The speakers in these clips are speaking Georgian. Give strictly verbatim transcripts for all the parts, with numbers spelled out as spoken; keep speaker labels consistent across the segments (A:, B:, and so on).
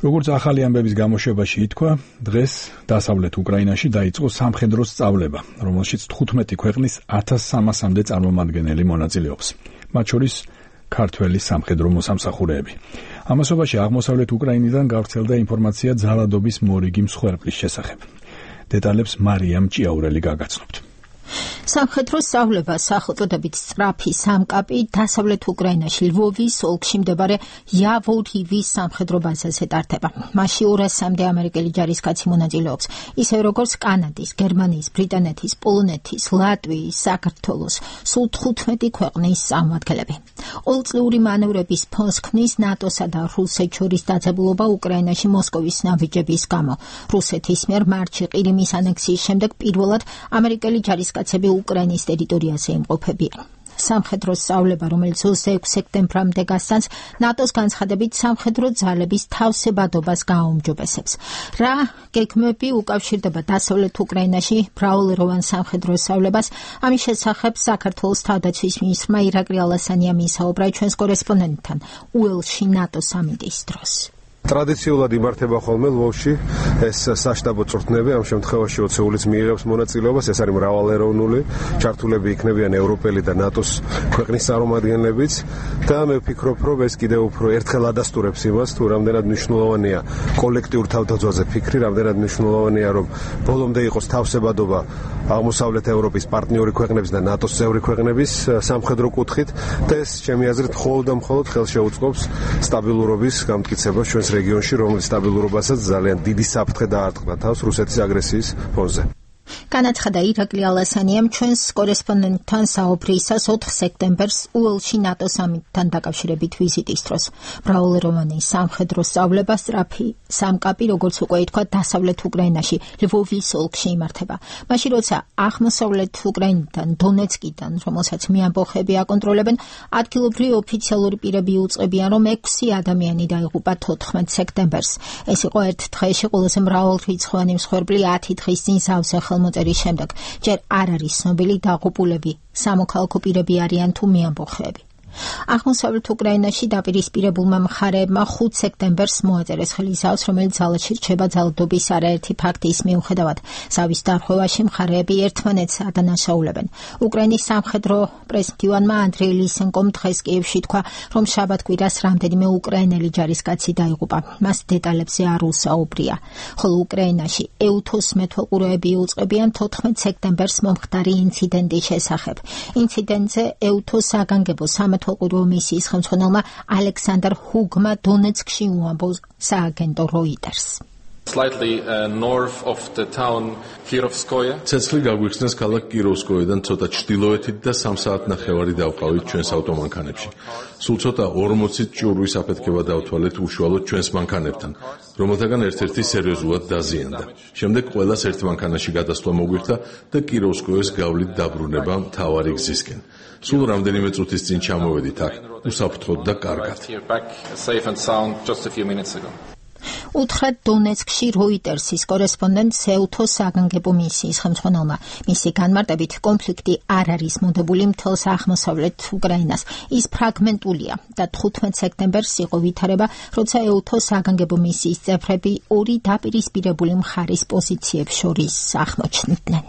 A: როგორც ახალი ამბების გამოშვებაში ითქვა, დღეს დასავლეთ უკრაინაში დაიწყო სამხედრო სწავლება, რომელშიც თხუთმეტი ქვეყნის ათას სამასამდე წარმომადგენელი მონაწილეობს, მათ შორის ქართველი სამხედრო მოსამსახურეები. ამასობაში აღმოსავლეთ უკრაინიდან გავრცელდა ინფორმაცია ძალადობის მორიგი მსხვერპლის შესახებ. დეტალებს მარიამ ჭიაურელი გაგაცნობთ.
B: სამხედრო სწავლება სახელწოდებით სწრაფი სამკაპი დასავლეთ უკრაინაში ლვოვის ოლქში მდებარე იავორივის სამხედრო ბაზაზე ტარდება. მასში ორასამდე ამერიკელი ჯარისკაცი მონაწილეობს, ისე როგორც კანადის, გერმანიის, ბრიტანეთის, პოლონეთის, ლატვიის, საქართველოს, სულ თხუთმეტი ქვეყნის წარმომადგენლები. ყოველწლიური მანევრების ფონს ქმნის ნატოსა და რუსეთს შორის დაძაბულობა უკრაინაში მოსკოვის ნაბიჯების გამო. რუსეთის მიერ მარტში ყირიმის ანექსიის შემდეგ პირველად ამერიკელი ჯარისკაცები უკრაინის ტერიტორიაზე იმყოფებიან. სამხედრო სწავლება, რომელიც ოცდაექვსი სექტემბრამდე გასცემს, ნატოს განცხადებით სამხედრო ძალების თავსებადობას გააუმჯობესებს. რა გეგმები უკავშირდება დასავლეთ უკრაინაში მრავალეროვან სამხედრო სწავლებას, ამის შესახებ საქართველოს თავდაცვის მინისტრმა ირაკლი ალასანიამ ისაუბრა ჩვენს კორესპონდენტთან უელსში ნატოს სამინისტრის დროს.
C: ტრადიციულად იმართება ხოლმე ლვოვში ეს საშტაბო წვრთნები, ამ შემთხვევაში ოცეულიც მიიღებს მონაწილეობას, ეს არის მრავალეროვნული, ჩართულები იქნებიან ევროპელი და ნატოს ქვეყნის წარმომადგენლებიც და მე ვფიქრობ, რომ ეს კიდევ უფრო ერთხელ ადასტურებს იმას, თუ რამდენად მნიშვნელოვანია კოლექტიურ თავდაცვაზე ფიქრი, რამდენად მნიშვნელოვანია, რომ ბოლომდე იყოს თავსებადობა აღმოსავლეთ ევროპის პარტნიორი ქვეყნების და ნატოს წევრი ქვეყნების სამხედრო კუთხით და ეს ჩემი აზრით მხოლოდ და მხოლოდ ხელშეუწყობს სტაბილურობის გამტკიცებას ჩვენს რეგიონში, რომლის სტაბილურობასაც ძალიან დიდი საფრთხე დაარტყდა თავს რუსეთის აგრესიის ფონზე.
B: განაცხადა ირაკლი ალასანიამ ჩვენს კორესპონდენტთან საუბრისას ოთხ სექტემბერს უელსში ნატოს სამინისტრთან დაკავშირებით ვიზიტის დროს. მრავალეროვანი სამხედრო სწავლება სწრაფი სამკაპი, როგორც უკვე ითქვა, დასავლეთ უკრაინაში ლვოვის ოლქში იმართება. მაშინ როცა აღმოსავლეთ უკრაინიდან, დონეცკიდან, რომელსაც მეამბოხები აკონტროლებენ, ადგილობრივი ოფიციალური პირები უწყებიან, რომ ექვსი ადამიანი დაიღუპა თოთხმეტ სექტემბერს. ეს იყო ერთ დღეში ყველაზე მრავალრიცხოვანი მსხვერპლი ათი დღის წინ სავსე ხელმოწერის შემდეგ. ჯერ არ არის ცნობილი დაღუპულები სამოქალაქო პირები არიან თუ მეამბოხეები. აღმოსავლეთ უკრაინაში დაპირისპირებულმა მხარეებმა ხუთ სექტემბერს მოაწერეს ხელისავს, რომელიც ძალაში რჩება ძალადობის არაერთი ფაქტის მიუხედავად. ზავის დარღვევაში მხარეები ერთმანეთს ადანაშაულებენ. უკრაინის სამხედრო პრესმდივანმა ანდრეი ლისენკომ დღეს კიევში თქვა, რომ შაბათ-კვირას რამდენიმე უკრაინელი ჯარისკაცი დაიღუპა. მას დეტალებზე არ უსაუბრია. ხოლო უკრაინაში ეუთოს მეთვალყურეები უწყებიან თოთხმეტ სექტემბერს მომხდარი ინციდენტის შესახებ. ინციდენტზე ეუთოს საგანგებო სამეთვალყურეო მისიის ხელმძღვანელმა ალექსანდრ ჰუგმა დონეცკში უამბო სააგენტო როიტერს.
D: Slightly uh, north of the town Kirovskoye.
E: ცეცხლი გაგვიხსნეს ქალაქ კიროვსკოედან ცოტა ჩრდილოეთით და სამ საათნახევარი დავყავით ჩვენს ავტომანქანებში. სულ ცოტა ორმოცი ჭურვის აფეთქება დავთვალეთ უშუალოდ ჩვენს მანქანებთან, რომელთაგან ერთ-ერთი სერიოზულად დაზიანდა. შემდეგ ყველას ერთ მანქანაში გადასვლა მოგვირთა და კიროვსკოეს გავლით დაბრუნება მთავარი გზისკენ. სულ რამდენიმე წუთის წინ ჩამოვედით აქ, უსაფრთხოდ და კარგად.
B: უთხრა დონეცკში როიტერსის კორესპონდენტს ეუთოს საგანგებო მისიის ხელმძღვანელმა. მისი განმარტებით, კონფლიქტი არ არის მოდებული მთელს აღმოსავლეთ უკრაინას. ის ფრაგმენტულია და თხუთმეტ სექტემბერს იყო ვითარება, როცა ეუთოს საგანგებო მისიის წევრები ორი დაპირისპირებული მხარის პოზიციებს შორის აღმოჩნდნენ.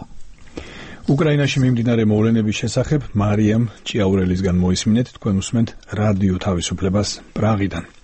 A: უკრაინაში მიმდინარე მოვლენების შესახებ მარიამ ჭიაურელისგან მოისმინეთ, თქვენ უსმენთ რადიო თავისუფლებას პრაღიდან.